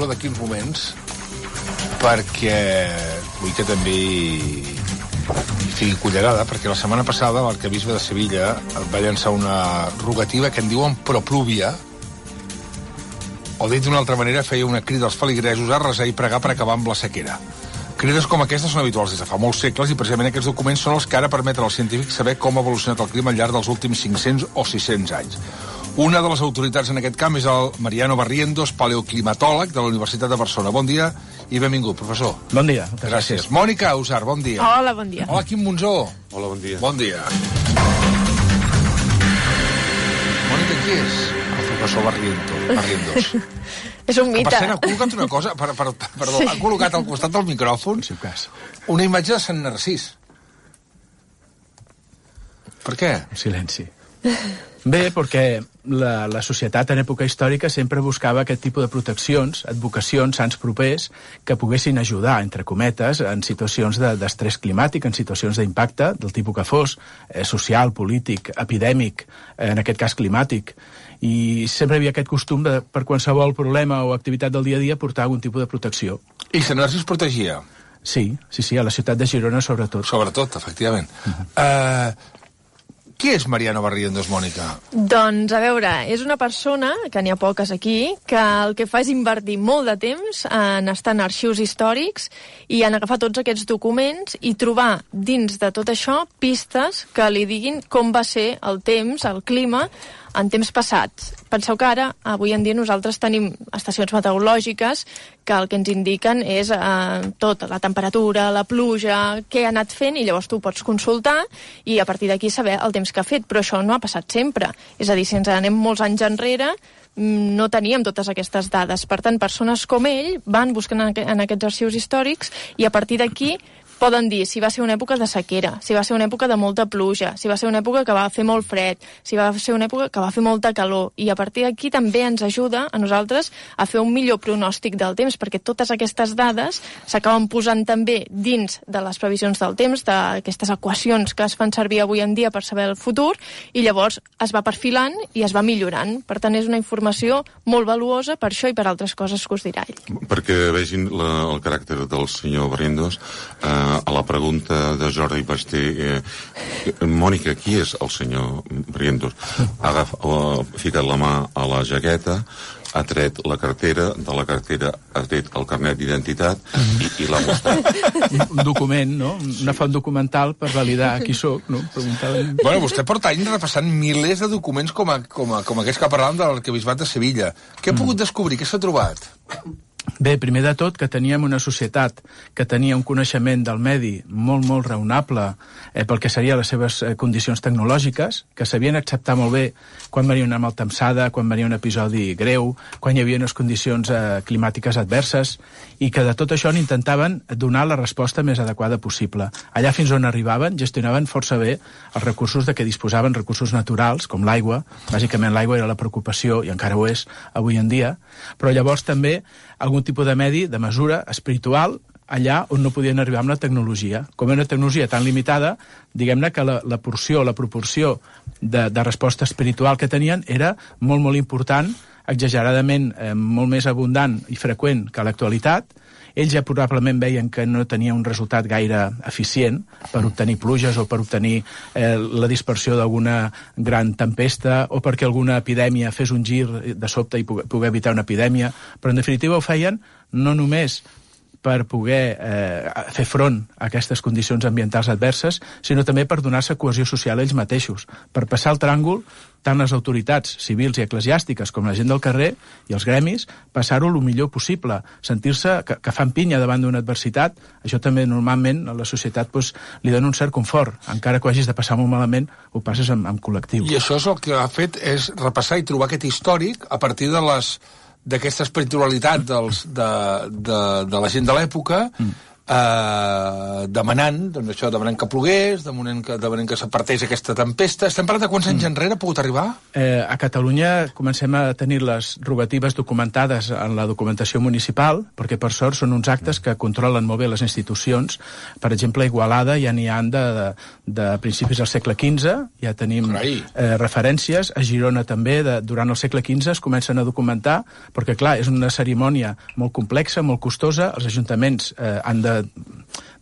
parlo d'aquí uns moments perquè vull que també hi fiqui cullerada, perquè la setmana passada l'arquebisbe de Sevilla va llançar una rogativa que en diuen proplúvia, o dit d'una altra manera feia una crida als feligresos a resar i pregar per acabar amb la sequera. Crides com aquestes són habituals des de fa molts segles i precisament aquests documents són els que ara permeten als científics saber com ha evolucionat el clima al llarg dels últims 500 o 600 anys. Una de les autoritats en aquest camp és el Mariano Barrientos, paleoclimatòleg de la Universitat de Barcelona. Bon dia i benvingut, professor. Bon dia. Gràcies. Mònica Ausar, bon dia. Hola, bon dia. Hola, Quim Monzó. Hola, bon dia. Bon dia. Mònica, qui és? El professor Barrientos. És un mite. Per cert, ha col·locat una cosa, perdó, ha col·locat al costat del micròfon una imatge de Sant Narcís. Per què? Silenci. Bé, perquè la societat en època històrica sempre buscava aquest tipus de proteccions, advocacions, sants propers, que poguessin ajudar, entre cometes, en situacions d'estrès climàtic, en situacions d'impacte, del tipus que fos, social, polític, epidèmic, en aquest cas climàtic. I sempre hi havia aquest costum de, per qualsevol problema o activitat del dia a dia, portar algun tipus de protecció. I Sant Narcís protegia? Sí, a la ciutat de Girona sobretot. Sobretot, efectivament. Qui és Mariano Barrientos, Mònica? Doncs, a veure, és una persona, que n'hi ha poques aquí, que el que fa és invertir molt de temps en estar en arxius històrics i en agafar tots aquests documents i trobar dins de tot això pistes que li diguin com va ser el temps, el clima, en temps passats. Penseu que ara, avui en dia, nosaltres tenim estacions meteorològiques que el que ens indiquen és tot, la temperatura, la pluja, què ha anat fent, i llavors tu pots consultar i a partir d'aquí saber el temps que ha fet, però això no ha passat sempre. És a dir, si ens anem molts anys enrere, no teníem totes aquestes dades. Per tant, persones com ell van buscant en aquests arxius històrics i a partir d'aquí poden dir si va ser una època de sequera, si va ser una època de molta pluja, si va ser una època que va fer molt fred, si va ser una època que va fer molta calor, i a partir d'aquí també ens ajuda a nosaltres a fer un millor pronòstic del temps, perquè totes aquestes dades s'acaben posant també dins de les previsions del temps, d'aquestes equacions que es fan servir avui en dia per saber el futur, i llavors es va perfilant i es va millorant. Per tant, és una informació molt valuosa per això i per altres coses que us dirà ell. Perquè vegin el caràcter del senyor Barrientos, a la pregunta de Jordi Basté, Mònica, qui és el senyor Barrientos? Ha ficat la mà a la jaqueta, ha tret la cartera, de la cartera ha tret el carnet d'identitat i l'ha mostrat. Un document, no? Una font documental per validar qui sóc, no? Bueno, vostè porta anys repassant milers de documents com aquests que parlàvem de l'arquebisbat de Sevilla. Què ha pogut descobrir? Què s'ha trobat? Bé, primer de tot, que teníem una societat que tenia un coneixement del medi molt, molt raonable pel que serien les seves condicions tecnològiques, que sabien acceptar molt bé quan venia una maltemsada, quan venia un episodi greu, quan hi havia unes condicions climàtiques adverses, i que de tot això n'intentaven donar la resposta més adequada possible. Allà fins on arribaven, gestionaven força bé els recursos de què disposaven, recursos naturals, com l'aigua. Bàsicament l'aigua era la preocupació, i encara ho és avui en dia, però llavors també algun tipus de medi, de mesura espiritual, allà on no podien arribar amb la tecnologia. Com era una tecnologia tan limitada, diguem-ne que la proporció de resposta espiritual que tenien era molt, molt important, exageradament molt més abundant i freqüent que l'actualitat. Ells ja probablement veien que no tenia un resultat gaire eficient per obtenir pluges o per obtenir la dispersió d'alguna gran tempesta o perquè alguna epidèmia fes un gir de sobte i poder evitar una epidèmia. Però en definitiva ho feien no només per poder fer front a aquestes condicions ambientals adverses, sinó també per donar-se cohesió social a ells mateixos, per passar el tràngol, tant les autoritats civils i eclesiàstiques com la gent del carrer i els gremis, passar-ho el millor possible, sentir-se que fan pinya davant d'una adversitat. Això també normalment a la societat li dona un cert confort, encara que ho hagis de passar molt malament, ho passes en col·lectiu. I això és el que ha fet, és repassar i trobar aquest històric a partir d'aquesta espiritualitat de la gent de l'època, demanant, doncs això, demanant que plogués, demanant que s'apartés aquesta tempesta. Estem parlant de quants anys enrere ha pogut arribar? A Catalunya comencem a tenir les rogatives documentades en la documentació municipal, perquè per sort són uns actes que controlen molt bé les institucions. Per exemple, a Igualada ja n'hi ha de principis del segle XV, ja tenim referències. A Girona també, durant el segle XV es comencen a documentar, perquè clar, és una cerimònia molt complexa, molt costosa, els ajuntaments han de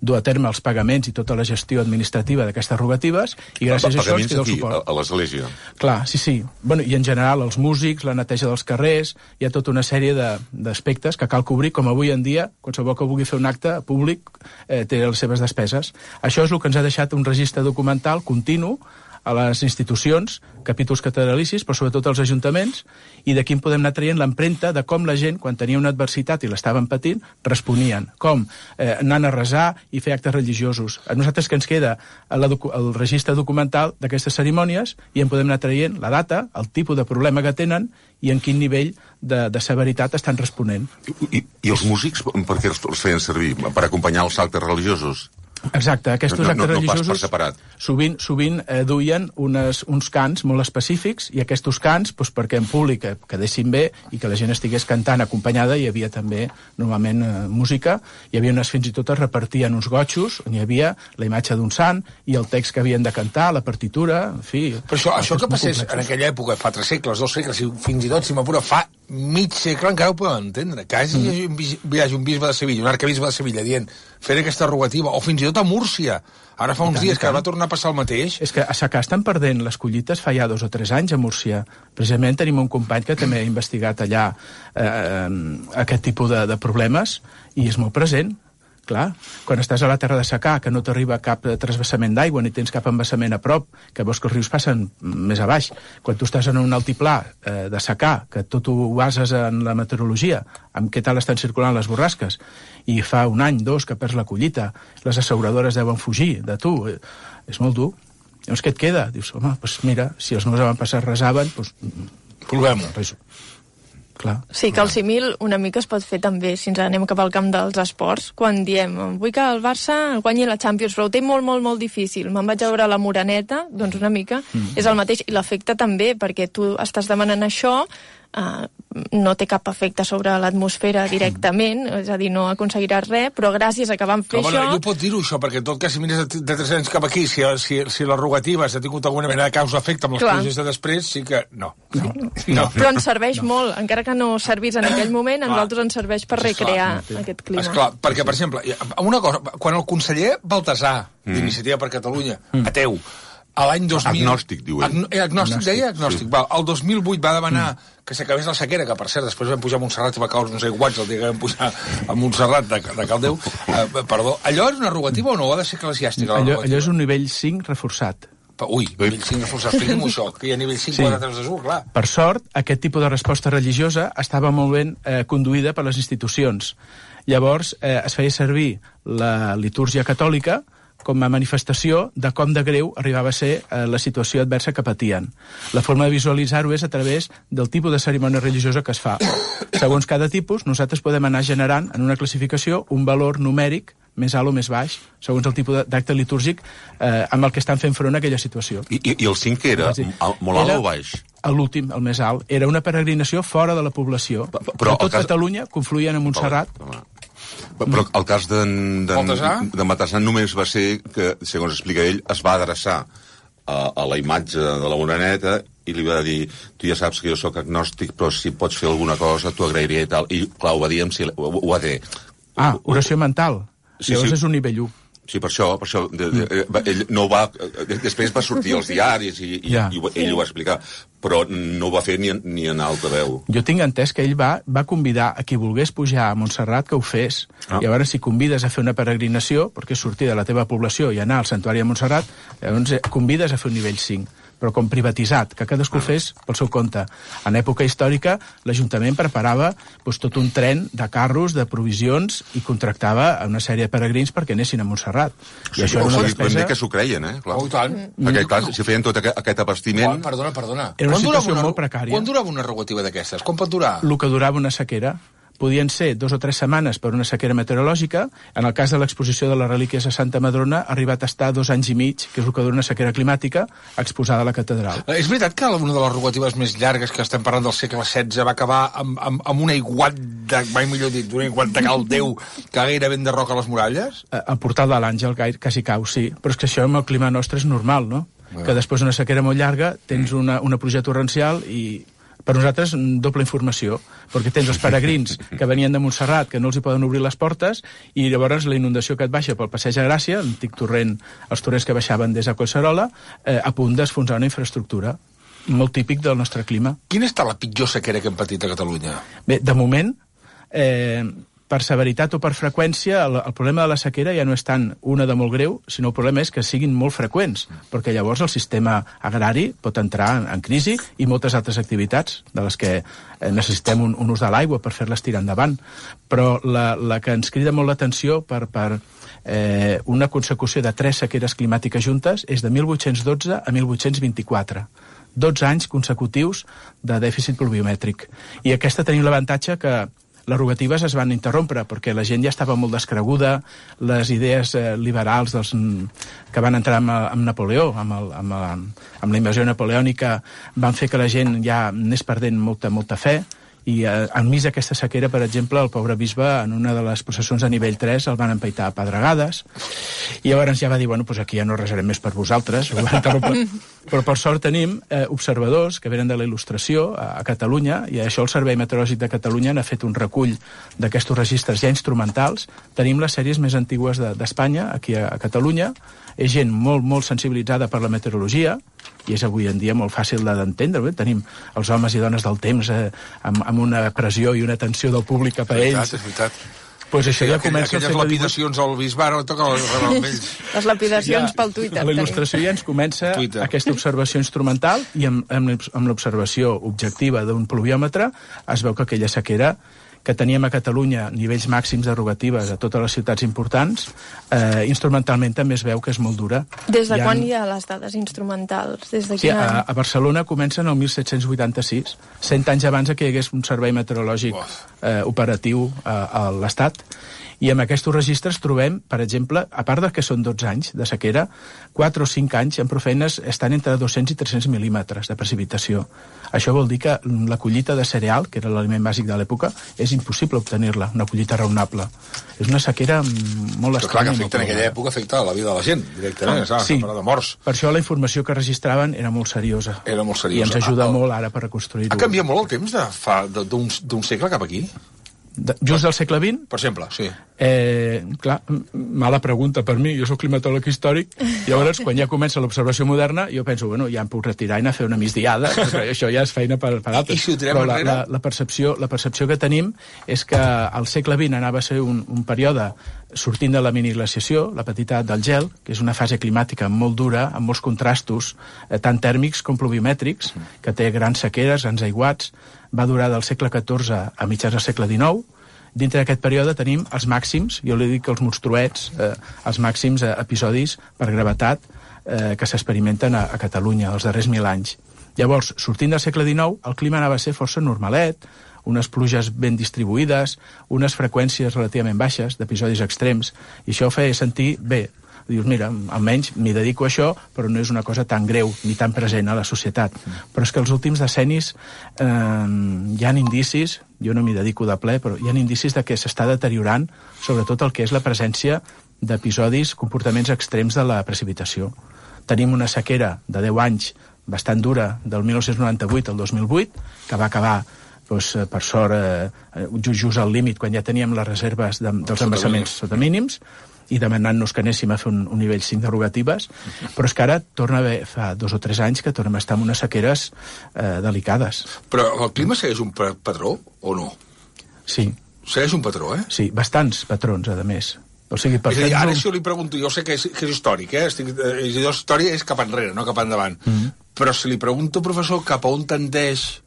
dur a terme els pagaments i tota la gestió administrativa d'aquestes rogatives, i gràcies a això ens queda el suport. A l'església? Clar, sí. Bueno, i en general els músics, la neteja dels carrers, hi ha tota una sèrie d'aspectes que cal cobrir, com avui en dia, qualsevol que vulgui fer un acte públic té les seves despeses. Això és el que ens ha deixat un registre documental continu a les institucions, capítols catedralicis, però sobretot als ajuntaments, i d'aquí en podem anar traient l'empremta de com la gent, quan tenia una adversitat i l'estaven patint, responien. Com? Anant a resar i fer actes religiosos. A nosaltres que ens queda el registre documental d'aquestes cerimònies i en podem anar traient la data, el tipus de problema que tenen i en quin nivell de severitat estan responent. I els músics, per què els feien servir? Per acompanyar els actes religiosos? Exacte, aquests actes religiosos sovint duien uns cants molt específics, i aquests cants, perquè en públic quedessin bé i que la gent estigués cantant acompanyada, hi havia també normalment música, hi havia fins i tot es repartien uns gotxos on hi havia la imatge d'un sant i el text que havien de cantar, la partitura, en fi... Però això que passés en aquella època, fa 3 segles, 2 segles, i fins i tot, si m'apura, fa mig segle, encara ho podem entendre, que hi hagi un bisbe de Sevilla, un arquebisbe de Sevilla, dient fer aquesta rogativa, o fins i tot a Múrcia. Ara fa uns dies que va tornar a passar el mateix. És que a Secà estan perdent les collites fa ja 2 o 3 anys a Múrcia. Precisament tenim un company que també ha investigat allà aquest tipus de problemes i és molt present. Clar, quan estàs a la terra de secà, que no t'arriba cap transvasament d'aigua ni tens cap embassament a prop, que veus que els rius passen més a baix, quan tu estàs en un altiplà de secà, que tot ho bases en la meteorologia, amb què tal estan circulant les borrasques, i fa 1 any, 2, que perds la collita, les asseguradores deuen fugir de tu, és molt dur. Llavors què et queda? Dius, home, doncs mira, si els meus avantpassats resaven, doncs... Provem-ho. Clar. Sí, que el símil una mica es pot fer també, si ens anem cap al camp dels esports, quan diem, vull que el Barça guanyi la Champions, però ho té molt, molt, molt difícil, me'n vaig a veure la Moreneta, doncs una mica és el mateix, i l'efecte també, perquè tu estàs demanant això, no té cap efecte sobre l'atmosfera directament, és a dir, no aconseguiràs res, però gràcies a que van fer això... Jo pot dir-ho, això, perquè en tot cas, si mires de 3 anys cap aquí, si les rogatives ha tingut alguna mena de causa-efecte amb les pluges de després, sí que no. Però ens serveix molt, encara que no servís en aquell moment, a nosaltres ens serveix per recrear aquest clima. Esclar, perquè, per exemple, una cosa, quan el conseller Baltasar, d'Iniciativa per Catalunya, ateu, a l'any 2000... Agnòstic, diu ell. Agnòstic. El 2008 va demanar que s'acabés la sequera, que per cert després vam pujar a Montserrat i va caure uns aiguats el dia que vam pujar a Montserrat de Caldeu. Perdó, allò és una rogativa o no? Ha de ser eclesiàstica? Allò és un nivell 5 reforçat. Ui, nivell 5 reforçat, expliqui'm això, que hi ha nivell 5 4 3 de sur, clar. Per sort, aquest tipus de resposta religiosa estava molt ben conduïda per les institucions. Llavors, es feia servir la litúrgia catòlica com a manifestació de com de greu arribava a ser la situació adversa que patien. La forma de visualitzar-ho és a través del tipus de cerimònia religiosa que es fa. Segons cada tipus, nosaltres podem anar generant en una classificació un valor numèric més alt o més baix, segons el tipus d'acte litúrgic amb el que estan fent front a aquella situació. I el 5 era molt alt o baix? L'últim, el més alt. Era una peregrinació fora de la població. Però tot Catalunya confluïen a Montserrat. Però el cas de Baltasar només va ser que, segons explica ell, es va adreçar a la imatge de la Moreneta i li va dir, tu ja saps que jo sóc agnòstic, però si pots fer alguna cosa t'ho agrairia i tal. I clar, ho va dir ho va dir. Oració mental. Llavors és un nivell 1. Sí, per això ell no va... Després va sortir als diaris i ell ho va explicar, però no ho va fer ni en alta veu. Jo tinc entès que ell va convidar a qui volgués pujar a Montserrat que ho fes. I llavors, si convides a fer una peregrinació, perquè és sortir de la teva població i anar al santuari de Montserrat, llavors convides a fer un nivell 5. Però com privatitzat, que cadascú fes pel seu compte. En època històrica, l'Ajuntament preparava tot un tren de carros, de provisions, i contractava una sèrie de peregrins perquè anessin a Montserrat. I això era una despesa... que s'ho creien, Clar. Oh, tant. Perquè, clar, si feien tot aquest abastiment... Perdona. Era una situació molt precària. Quan durava una rogativa d'aquestes? Com pot durar? El que durava una sequera. podien ser 2 o 3 setmanes per una sequera meteorològica. En el cas de l'exposició de les relíquies a Santa Madrona ha arribat a estar 2 anys i mig, que és el que dura una sequera climàtica, exposada a la catedral. És veritat que una de les rogatives més llargues, que estem parlant del segle XVI, va acabar amb un aiguat mai millor dit, un aiguat de cal Déu que gairebé enderroca les muralles? El portal de l'Àngel quasi cau, sí. Però és que això amb el clima nostre és normal, no? Que després d'una sequera molt llarga tens una pluja torrencial i per nosaltres doble informació, perquè tens els peregrins que venien de Montserrat, que no els hi poden obrir les portes, i llavors la inundació que et baixa pel Passeig de Gràcia, l'antic torrent, els torrents que baixaven des de Collserola, a punt d'esfonsar una infraestructura molt típic del nostre clima. Quina està la pitjor sequera que hem patit a Catalunya? Bé, de moment, per severitat o per freqüència, el problema de la sequera ja no és tant una de molt greu, sinó el problema és que siguin molt freqüents, perquè llavors el sistema agrari pot entrar en crisi i moltes altres activitats de les que necessitem un ús de l'aigua per fer-les tirar endavant. Però la que ens crida molt l'atenció per una consecució de 3 sequeres climàtiques juntes és de 1812 a 1824. 12 anys consecutius de dèficit pluviomètric. I aquesta tenim l'avantatge que les rogatives es van interrompre perquè la gent ja estava molt descreguda, les idees liberals que van entrar amb Napoleó, amb la invasió napoleònica, van fer que la gent ja anés perdent molta fe, i enmig d'aquesta sequera, per exemple, el pobre bisbe en una de les processons de nivell 3 el van empaitar a pedregades, i llavors ja va dir, bueno, doncs aquí ja no resarem més per vosaltres, però per sort tenim observadors que venen de la il·lustració a Catalunya, i això el Servei Meteorològic de Catalunya n'ha fet un recull d'aquests registres ja instrumentals. Tenim les sèries més antigues d'Espanya, aquí a Catalunya, és gent molt sensibilitzada per la meteorologia, i és avui en dia molt fàcil d'entendre. Tenim els homes i dones del temps amb una pressió i una atenció del públic cap a ells. És veritat. Pues això ja comença aquelles lapidacions al bisbe, ara toca amb ells. Les lapidacions pel Twitter. La il·lustració ja ens comença aquesta observació instrumental, i amb l'observació objectiva d'un pluviòmetre es veu que aquella sequera que teníem a Catalunya, nivells màxims de rogatives a totes les ciutats importants, instrumentalment també es veu que és molt dura. Des de quan hi ha les dades instrumentals? Sí, a Barcelona comencen el 1786, 100 anys abans que hi hagués un servei meteorològic operatiu a l'Estat. I amb aquests registres trobem, per exemple, a part que són 12 anys de sequera, 4 o 5 anys en profeines estan entre 200 i 300 mil·límetres de precipitació. Això vol dir que la collita de cereal, que era l'aliment bàsic de l'època, és impossible obtenir-la, una collita raonable. És una sequera molt estranya. Però clar, que afecta en aquella època, afecta la vida de la gent, directament, sí. De morts. Per això la informació que registraven era molt seriosa. Era molt seriosa. I ens ajuda molt ara per reconstruir-ho. Ha canviat molt el temps d'un segle cap aquí? Just del segle XX? Per exemple, sí. Clar, mala pregunta per mi, jo soc climatòleg històric, i llavors quan ja comença l'observació moderna jo penso, bueno, ja em puc retirar i anar a fer una migdiada, perquè això ja és feina per altres. I si ho tirem enrere? La percepció que tenim és que al segle XX anava a ser un període sortint de la miniglaciació, la petita edat del gel, que és una fase climàtica molt dura, amb molts contrastos, tant tèrmics com pluviomètrics, que té grans sequeres, grans aiguats, va durar del segle XIV a mitjans del segle XIX. Dintre d'aquest període tenim els màxims, jo li dic els monstruets, els màxims episodis per gravetat que s'experimenten a Catalunya els darrers 1000 anys. Llavors, sortint del segle XIX, el clima anava a ser força normalet, unes pluges ben distribuïdes, unes freqüències relativament baixes d'episodis extrems, i això feia sentir bé. Dius, mira, almenys m'hi dedico a això, però no és una cosa tan greu ni tan present a la societat. Però és que els últims decennis hi ha indicis, jo no m'hi dedico de ple, però hi ha indicis de que s'està deteriorant sobretot el que és la presència d'episodis, comportaments extrems de la precipitació. Tenim una sequera de 10 anys bastant dura del 1998 al 2008, que va acabar per sort just al límit quan ja teníem les reserves dels embassaments sota mínims, i demanant-nos que anéssim a fer un nivell 5 de rogatives, però és que ara torna a haver, fa 2 o 3 anys que tornem a estar en unes sequeres delicades. Però el clima segueix un patró o no? Sí. Segueix un patró, eh? Sí, bastants patrons, a més. O sigui, és a dir, ara si jo li pregunto, jo sé que és històric, història és cap enrere, no cap endavant, però si li pregunto, professor, cap a on tendeix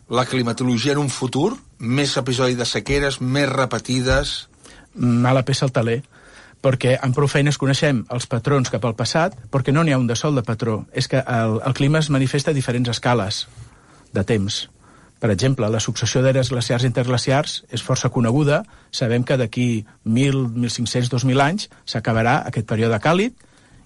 la climatologia en un futur, més episodis de sequeres, més repetides... Mala peça al taler, perquè amb prou feines coneixem els patrons cap al passat, perquè no n'hi ha un de sol de patró. És que el clima es manifesta a diferents escales de temps. Per exemple, la successió d'eres glaciars i interglaciars és força coneguda. Sabem que d'aquí 1.000, 1.500, 2.000 anys s'acabarà aquest període càlid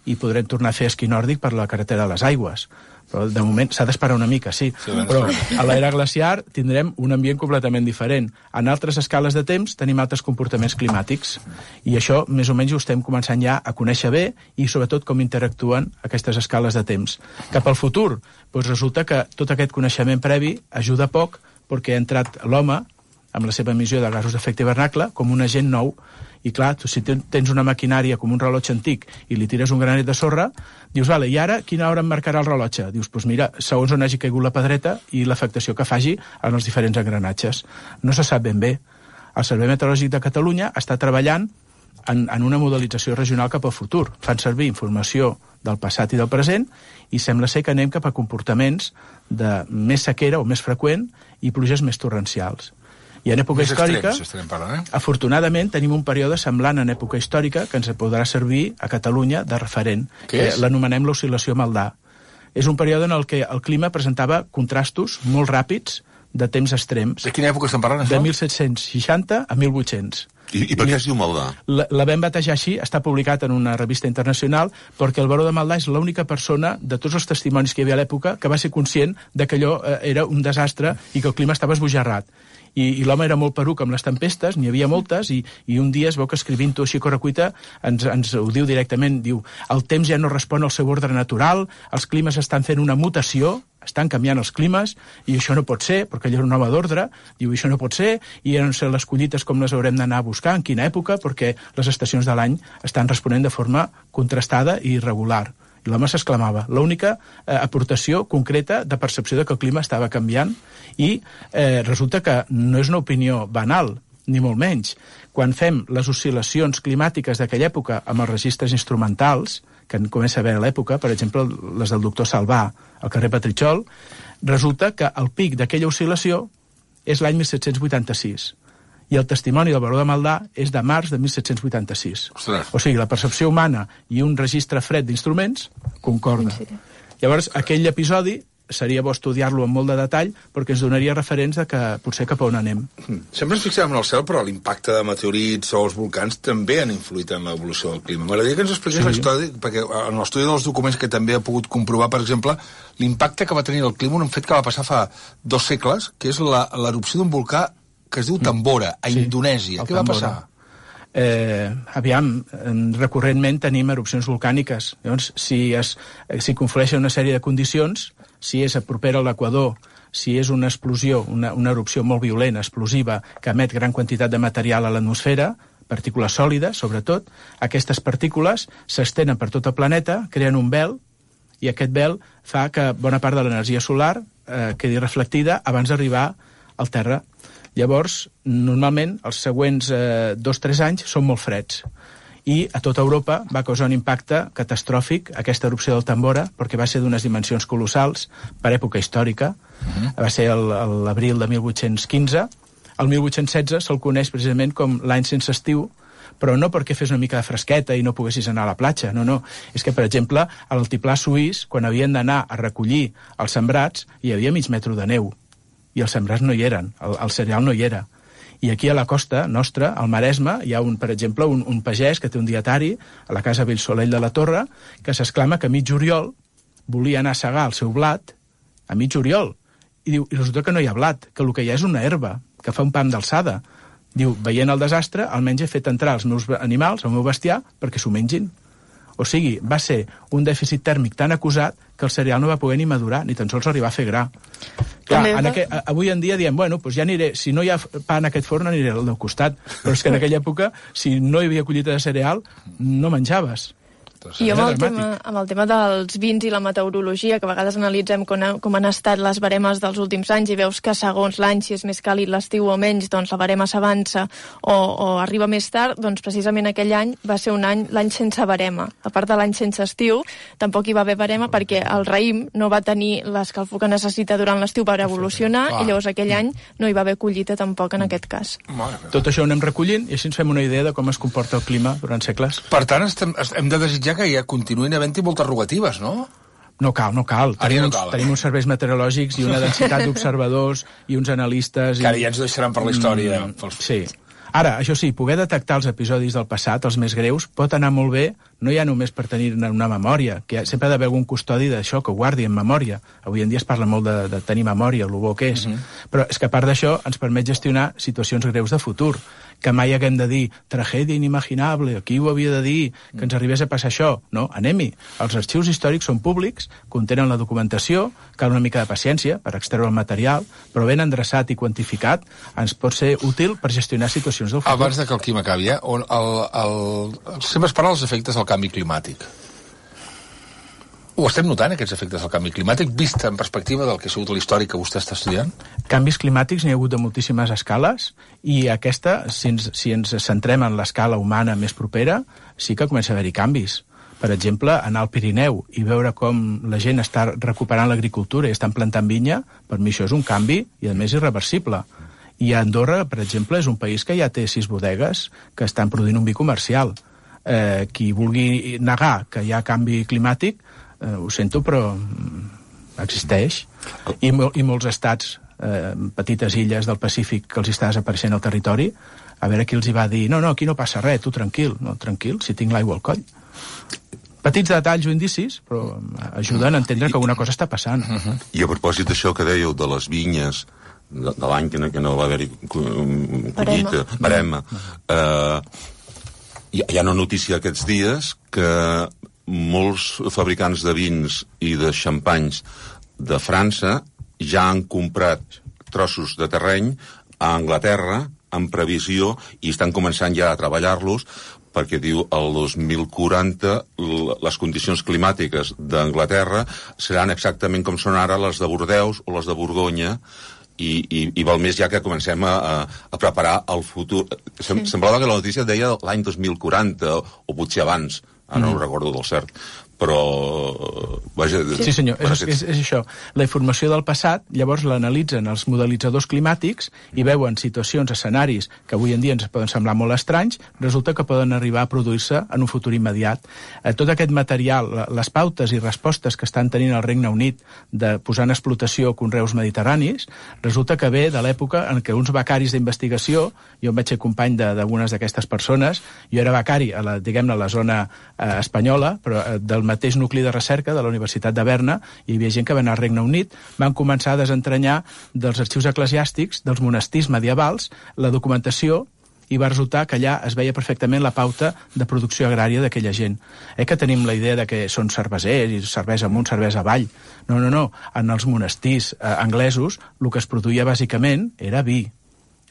i podrem tornar a fer esquí nòrdic per la carretera de les aigües. Però de moment s'ha d'esperar una mica, sí. Però a l'era glaciar tindrem un ambient completament diferent. En altres escales de temps tenim altres comportaments climàtics. I això, més o menys, ho estem començant ja a conèixer bé i, sobretot, com interactuen aquestes escales de temps. Cap al futur, doncs resulta que tot aquest coneixement previ ajuda poc perquè ha entrat l'home, amb la seva emissió de gasos d'efecte hivernacle, com un agent nou. I clar, tu, si tens una maquinària com un rellotge antic i li tires un granet de sorra, dius, vale, i ara quina hora em marcarà el rellotge? Dius, doncs mira, segons on hagi caigut la pedreta i l'afectació que faci en els diferents engranatges. No se sap ben bé. El Servei Meteorològic de Catalunya està treballant en una modelització regional cap al futur. Fan servir informació del passat i del present i sembla ser que anem cap a comportaments de més sequera o més freqüent i pluges més torrencials. I en època històrica, afortunadament, tenim un període semblant en època històrica que ens podrà servir a Catalunya de referent, que l'anomenem l'oscil·lació Maldà. És un període en el què el clima presentava contrastos molt ràpids de temps extrems. De quina època estem parlant, això? De 1760 a 1800. I per què es diu Maldà? La vam batejar així, està publicat en una revista internacional, perquè el baró de Maldà és l'única persona de tots els testimonis que hi havia a l'època que va ser conscient de que allò era un desastre i que el clima estava esbojarrat. I l'home era molt peruc amb les tempestes, n'hi havia moltes, i un dia es veu que escrivint-ho així a correcuita ens ho diu directament, diu, el temps ja no respon al seu ordre natural, els climes estan fent una mutació, estan canviant els climes, i això no pot ser, perquè ell era un home d'ordre, diu, això no pot ser, i no sé les collites com les haurem d'anar a buscar, en quina època, perquè les estacions de l'any estan responent de forma contrastada i irregular. I l'home s'exclamava. L'única aportació concreta de percepció de que el clima estava canviant i resulta que no és una opinió banal, ni molt menys. Quan fem les oscil·lacions climàtiques d'aquella època amb els registres instrumentals, que en comença a haver a l'època, per exemple, les del doctor Salvà al carrer Petritxol, resulta que el pic d'aquella oscil·lació és l'any 1786. I el testimoni del baró de Maldà és de març de 1786. Ostres. O sigui, la percepció humana i un registre fred d'instruments concorda. Llavors, aquell episodi seria bo estudiar-lo amb molt de detall perquè ens donaria referents de que potser cap a on anem. Sempre ens fixem en el cel, però l'impacte de meteorits o els volcans també han influït en l'evolució del clima. M'agradaria que ens expliqués l'història, perquè en l'estudi dels documents que també he pogut comprovar, per exemple, l'impacte que va tenir el clima, un fet que va passar fa 2 segles, que és l'erupció d'un volcà que es diu Tambora, a Indonèsia. Què va passar? Recurrentment tenim erupcions volcàniques. Llavors, si conflueixen una sèrie de condicions, si és propera a l'equador, si és una explosió, una erupció molt violenta, explosiva, que emet gran quantitat de material a l'atmosfera, partícules sòlides, sobretot, aquestes partícules s'estenen per tot el planeta, creen un vel, i aquest vel fa que bona part de l'energia solar quedi reflectida abans d'arribar al terra. Llavors, normalment, els següents 2-3 anys són molt freds. I a tota Europa va causar un impacte catastròfic aquesta erupció del Tambora, perquè va ser d'unes dimensions colossals per època històrica. Va ser l'abril de 1815. El 1816 se'l coneix precisament com l'any sense estiu, però no perquè fes una mica de fresqueta i no poguessis anar a la platja, no. És que, per exemple, a l'altiplà suís, quan havien d'anar a recollir els sembrats, hi havia mig metre de neu. I els sembrats no hi eren, el cereal no hi era. I aquí a la costa nostra, al Maresme, hi ha, per exemple, un pagès que té un dietari a la casa Villsolell de la Torre, que s'exclama que a mig juliol volia anar a segar el seu blat a mig juliol. I diu, i resulta que no hi ha blat, que el que hi ha és una herba, que fa un pam d'alçada. Diu, veient el desastre, almenys he fet entrar els meus animals, el meu bestiar, perquè s'ho mengin. O sigui, va ser un dèficit tèrmic tan acusat que el cereal no va poder ni madurar, ni tan sols arribar a fer gra. Clar, avui en dia diem, bueno, doncs ja aniré, si no hi ha pa en aquest forn, aniré al del costat. Però és que en aquella època, si no hi havia collita de cereal, no menjaves. I amb el tema dels vins i la meteorologia, que a vegades analitzem com han estat les baremes dels últims anys i veus que segons l'any, si és més càlid l'estiu o menys, doncs la barema s'avança o arriba més tard, doncs precisament aquell any va ser l'any sense barema. A part de l'any sense estiu, tampoc hi va haver barema perquè el raïm no va tenir l'escalfor que necessita durant l'estiu per evolucionar i llavors aquell any no hi va haver collita tampoc en aquest cas. Tot això ho anem recollint i així ens fem una idea de com es comporta el clima durant segles. Per tant, hem de desitjar que ja continuïn havent-hi moltes rogatives, no? No cal. Ara no cal. Tenim uns serveis meteorològics i una densitat d'observadors i uns analistes... Que ara ja ens deixaran per la història. Sí. Ara, això sí, poder detectar els episodis del passat, els més greus, pot anar molt bé, no ja només per tenir una memòria, que sempre ha d'haver algun custodi d'això, que ho guardi en memòria. Avui en dia es parla molt de tenir memòria, el bo que és. Però és que a part d'això ens permet gestionar situacions greus de futur, que mai haguem de dir tragèdia inimaginable, qui ho havia de dir, que ens arribés a passar això. No, anem-hi. Els arxius històrics són públics, contenen la documentació, cal una mica de paciència per extreure el material, però ben endreçat i quantificat ens pot ser útil per gestionar situacions del futur. Abans que el Quim acabi, sempre es parla dels efectes del canvi climàtic. Ho estem notant, aquests efectes del canvi climàtic, vist en perspectiva del que ha sigut l'històric que vostè està estudiant? Canvis climàtics n'hi ha hagut de moltíssimes escales, i aquesta, si ens centrem en l'escala humana més propera, sí que comença a haver-hi canvis. Per exemple, anar al Pirineu i veure com la gent està recuperant l'agricultura i estan plantant vinya, per mi això és un canvi, i a més irreversible. I Andorra, per exemple, és un país que ja té 6 bodegues que estan produint un vi comercial. Qui vulgui negar que hi ha canvi climàtic, ho sento, però existeix. I molts estats, petites illes del Pacífic que els està desapareixent al territori, a veure qui els hi va dir, no, aquí no passa res, tu tranquil. No, tranquil, si tinc l'aigua al coll. Petits detalls o indicis, però ajuden a entendre que alguna cosa està passant. I a propòsit d'això que dèieu de les vinyes, de l'any que no va haver-hi collita, barema, hi ha una notícia aquests dies que molts fabricants de vins i de xampanys de França ja han comprat trossos de terreny a Anglaterra en previsió i estan començant ja a treballar-los perquè diu el 2040 les condicions climàtiques d'Anglaterra seran exactament com són ara les de Bordeus o les de Borgonya i val més ja que comencem a preparar el futur. Semblava que la notícia deia l'any 2040 o potser abans. Ara no ho recordo del cert, però... Vaja, sí, senyor, és això. La informació del passat, llavors l'analitzen els modelitzadors climàtics i veuen situacions, escenaris que avui en dia ens poden semblar molt estranys, resulta que poden arribar a produir-se en un futur immediat. Tot aquest material, les pautes i respostes que estan tenint el Regne Unit de posar en explotació conreus mediterranis, resulta que ve de l'època en què uns becaris d'investigació, jo em vaig ser company d'algunes d'aquestes persones, jo era becari a la zona espanyola, però del mateix nucli de recerca de la Universitat de Berna, hi havia gent que va anar al Regne Unit, van començar a desentranyar dels arxius eclesiàstics, dels monestirs medievals, la documentació, i va resultar que allà es veia perfectament la pauta de producció agrària d'aquella gent. Que tenim la idea de que són cervesers, i cervesa amunt, cervesa avall. No. En els monestirs anglesos, el que es produïa bàsicament era vi.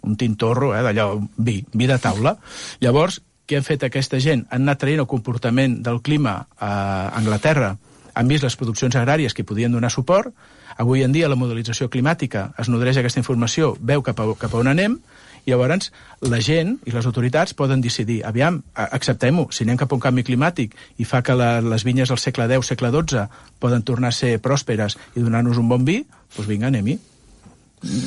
Un tintorro, d'allò, vi de taula. Llavors, què han fet aquesta gent? Han anat traient el comportament del clima a Anglaterra, han vist les produccions agràries que podien donar suport, avui en dia la modelització climàtica es nodreix aquesta informació, veu cap a on anem, i llavors la gent i les autoritats poden decidir, aviam, acceptem-ho, si anem cap a un canvi climàtic i fa que les vinyes del segle X, segle XII poden tornar a ser pròsperes i donar-nos un bon vi, doncs vinga, anem-hi.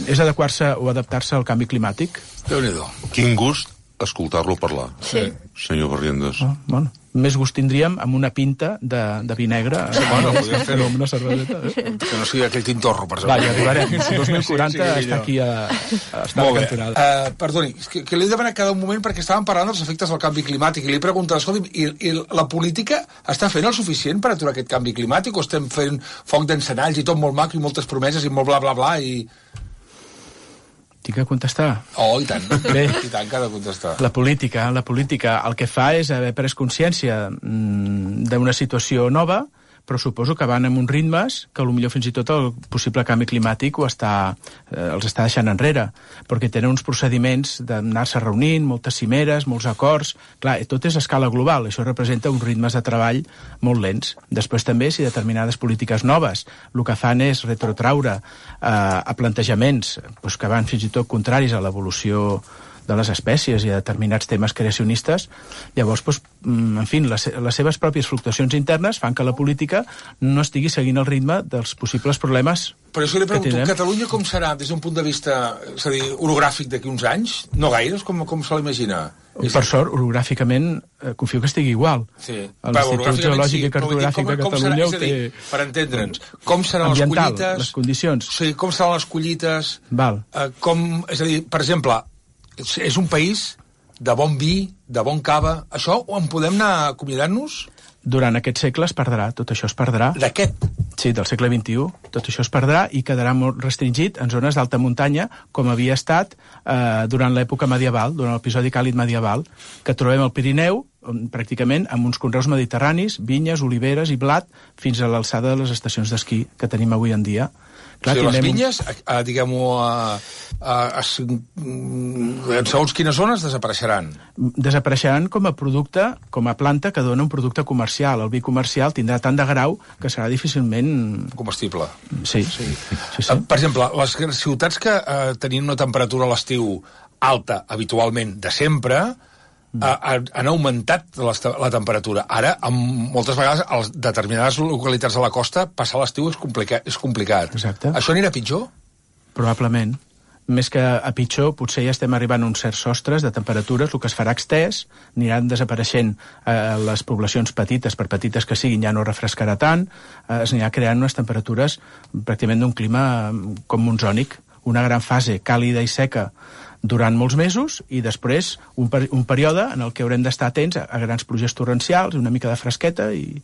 És adequar-se o adaptar-se al canvi climàtic. Déu-n'hi-do. Quin gust escoltar-lo parlar, senyor Barrientos. Bueno, més gust tindríem amb una pinta de vi negre. Podríem fer-ho amb una cerveseta. Que no sigui aquell tintorro, per exemple. Va, ja arribarem. 2040 està aquí a la cantonada. Perdoni, que l'he demanat cada moment perquè estàvem parlant dels efectes del canvi climàtic i li he preguntat, escolti, i la política està fent el suficient per aturar aquest canvi climàtic o estem fent foc d'encenalls i tot molt maco i moltes promeses i molt bla bla bla i... Tinc que contestar? I tant. Bé. I tant que ha de contestar. La política el que fa és haver pres consciència d'una situació nova, però suposo que van amb uns ritmes que potser fins i tot el possible canvi climàtic els està deixant enrere, perquè tenen uns procediments d'anar-se reunint, moltes cimeres, molts acords. Clar, tot és a escala global, això representa uns ritmes de treball molt lents. Després també, si determinades polítiques noves el que fan és retrotraure a plantejaments que van fins i tot contraris a l'evolució de les espècies i a determinats temes creacionistes, llavors, en fi, les seves pròpies fluctuacions internes fan que la política no estigui seguint el ritme dels possibles problemes. Però això li pregunto, Catalunya com serà des d'un punt de vista, és a dir, orogràfic d'aquí uns anys? No gaires, com se l'imagina? Per sort, orogràficament, confio que estigui igual. Sí. L'Institut Geològic i Cartogràfic de Catalunya ho té... Per entendre'ns, com seran les collites... les condicions. Sí, com seran les collites... Val. És a dir, per exemple, és un país de bon vi, de bon cava... Això en podem anar acomiadant-nos? Durant aquest segle es perdrà, tot això es perdrà. D'aquest? Sí, del segle XXI. Tot això es perdrà i quedarà molt restringit en zones d'alta muntanya, com havia estat durant l'època medieval, durant l'episodi càlid medieval, que trobem al Pirineu, pràcticament amb uns conreus mediterranis, vinyes, oliveres i blat, fins a l'alçada de les estacions d'esquí que tenim avui en dia. Clar, les vinyes, diguem-ho, en segons quines zones desapareixeran? Desapareixeran com a producte, com a planta que dona un producte comercial. El vi comercial tindrà tant de grau que serà difícilment... comestible. Sí. Per exemple, les ciutats que tenien una temperatura a l'estiu alta, habitualment, de sempre... han augmentat la temperatura. Ara, moltes vegades, a determinades localitats de la costa, passar l'estiu és complicat. Exacte. Això anirà pitjor? Probablement. Més que a pitjor, potser ja estem arribant a uns certs sostres de temperatures, el que es farà extès, aniran desapareixent les poblacions petites, per petites que siguin, ja no refrescarà tant, es anirà creant unes temperatures pràcticament d'un clima com monsònic, una gran fase càlida i seca durant molts mesos i després un període en el que haurem d'estar atents a grans pluges torrencials, una mica de fresqueta i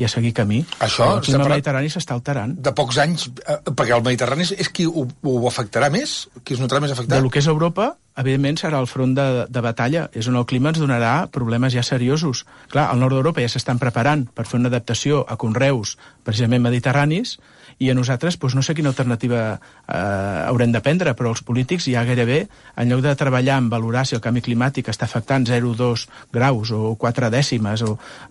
a seguir camí. Això, el clima mediterrani s'està alterant. De pocs anys, perquè el Mediterrani és qui ho afectarà més? Qui es notarà més afectat? De lo que és Europa, evidentment serà el front de batalla. És on el clima ens donarà problemes ja seriosos. Clar, al nord d'Europa ja s'estan preparant per fer una adaptació a conreus precisament mediterranis i a nosaltres no sé quina alternativa haurem de prendre, però els polítics ja gairebé, en lloc de treballar en valorar si el canvi climàtic està afectant 0,2 graus o 4 dècimes,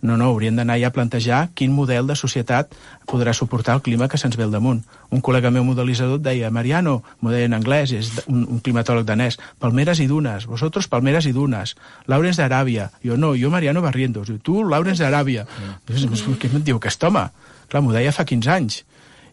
no, haurien d'anar ja a plantejar quin model de societat podrà suportar el clima que se'ns ve al damunt. Un col·lega meu modelitzador deia, Mariano, m'ho deia en anglès, és un climatòleg danès, palmeres i dunes, vosotros palmeres i dunes, Laurens d'Aràbia, jo Mariano Barrientos, tu Laurens d'Aràbia. Què em diu aquest home? Clar, m'ho deia fa 15 anys.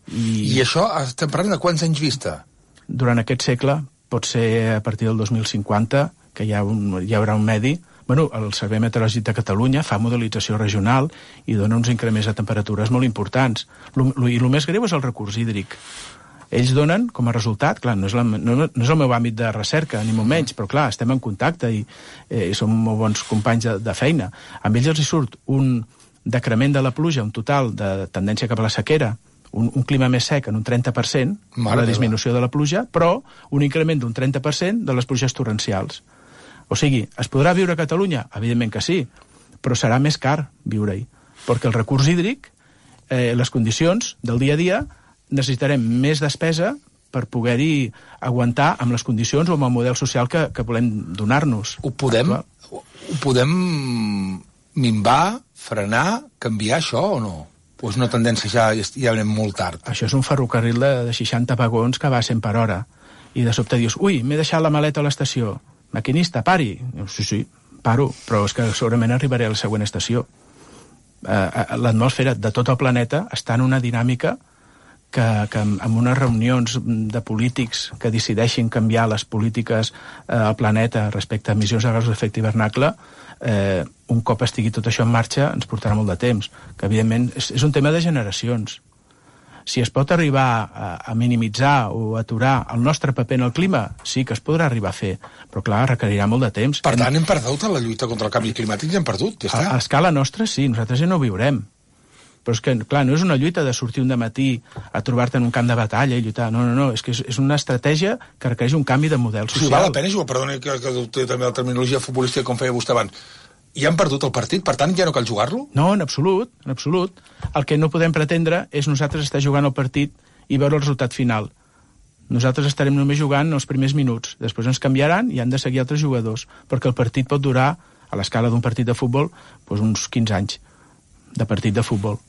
I això estem parlant de quants anys vista? Durant aquest segle, pot ser a partir del 2050, que hi haurà un medi. Bueno, el Servei Meteorològic de Catalunya fa modelització regional i dona uns increments de temperatures molt importants. I el més greu és el recurs hídric. Ells donen, com a resultat, clar, no és el meu àmbit de recerca, ni molt menys, però clar, estem en contacte i som molt bons companys de feina. Amb ells els hi surt un decrement de la pluja, un total de tendència cap a la sequera, un clima més sec en un 30%, la disminució de la pluja, però un increment d'un 30% de les pluges torrencials. O sigui, es podrà viure a Catalunya? Evidentment que sí, però serà més car viure-hi, perquè el recurs hídric, les condicions del dia a dia, necessitarem més despesa per poder-hi aguantar amb les condicions o amb el model social que volem donar-nos. Ho podem minvar, frenar, canviar això o no? O és una tendència ja anem molt tard? Això és un ferrocarril de 60 vagons que va a 100 per hora. I de sobte dius, ui, m'he deixat la maleta a l'estació. Maquinista, pari. Sí, paro, però és que segurament arribaré a la següent estació. L'atmosfera de tot el planeta està en una dinàmica que amb unes reunions de polítics que decideixin canviar les polítiques al planeta respecte a emissions de gasos d'efecte hivernacle, un cop estigui tot això en marxa ens portarà molt de temps, que evidentment és un tema de generacions. Si es pot arribar a minimitzar o aturar el nostre paper en el clima, sí que es podrà arribar a fer, però clar, requerirà molt de temps. Per tant, hem perdut la lluita contra el canvi climàtic i hem perdut, ja està. A escala nostra sí, nosaltres ja no ho viurem. Però és que, clar, no és una lluita de sortir un dematí a trobar-te en un camp de batalla i lluitar. No, és que és una estratègia que requereix un canvi de model social. Sí, val la pena jugar, perdoni que adopti també la terminologia futbolística com feia vostè abans. I han perdut el partit, per tant ja no cal jugar-lo? No, en absolut, en absolut. El que no podem pretendre és nosaltres estar jugant el partit i veure el resultat final. Nosaltres estarem només jugant els primers minuts, després ens canviaran i han de seguir altres jugadors, perquè el partit pot durar, a l'escala d'un partit de futbol, uns 15 anys de partit de futbol.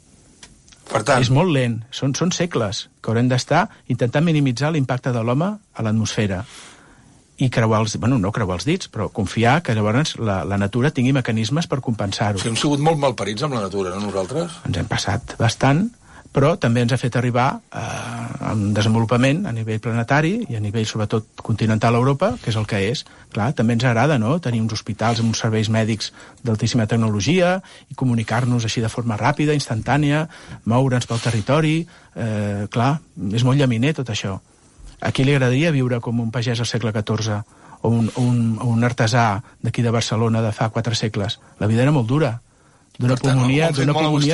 Per tant... És molt lent, són segles que haurem d'estar intentant minimitzar l'impacte de l'home a l'atmosfera i no creuar els dits, però confiar que llavors la natura tingui mecanismes per compensar-ho. Sí, hem sigut molt malparits amb la natura, no nosaltres? Ens hem passat bastant, però també ens ha fet arribar en desenvolupament a nivell planetari i a nivell, sobretot, continental Europa, que és el que és. Clar, també ens agrada, no?, tenir uns hospitals amb uns serveis mèdics d'altíssima tecnologia i comunicar-nos així de forma ràpida, instantània, moure'ns pel territori. Clar, és molt llaminer tot això. A qui li agradaria viure com un pagès al segle XIV o un artesà d'aquí de Barcelona de fa 4 segles? La vida era molt dura. D'una pulmonia et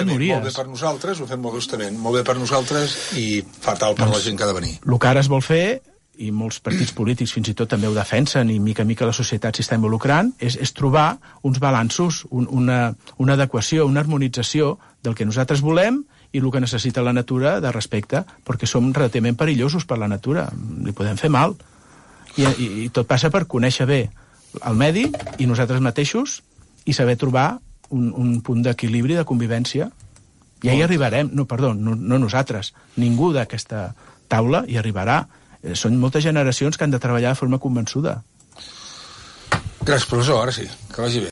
mories. Molt bé per nosaltres, ho fem molt justament. Molt bé per nosaltres i fatal per la gent que ha de venir. El que ara es vol fer, i molts partits polítics fins i tot també ho defensen, i mica a mica la societat s'hi està involucrant, és trobar uns balanços, una adequació, una harmonització del que nosaltres volem i el que necessita la natura de respecte, perquè som relativament perillosos per la natura, li podem fer mal. I tot passa per conèixer bé el medi i nosaltres mateixos i saber trobar un punt d'equilibri, de convivència. Ja hi arribarem. No nosaltres. Ningú d'aquesta taula hi arribarà. Són moltes generacions que han de treballar de forma convençuda. Gràcies, professor. Ara sí. Que vagi bé.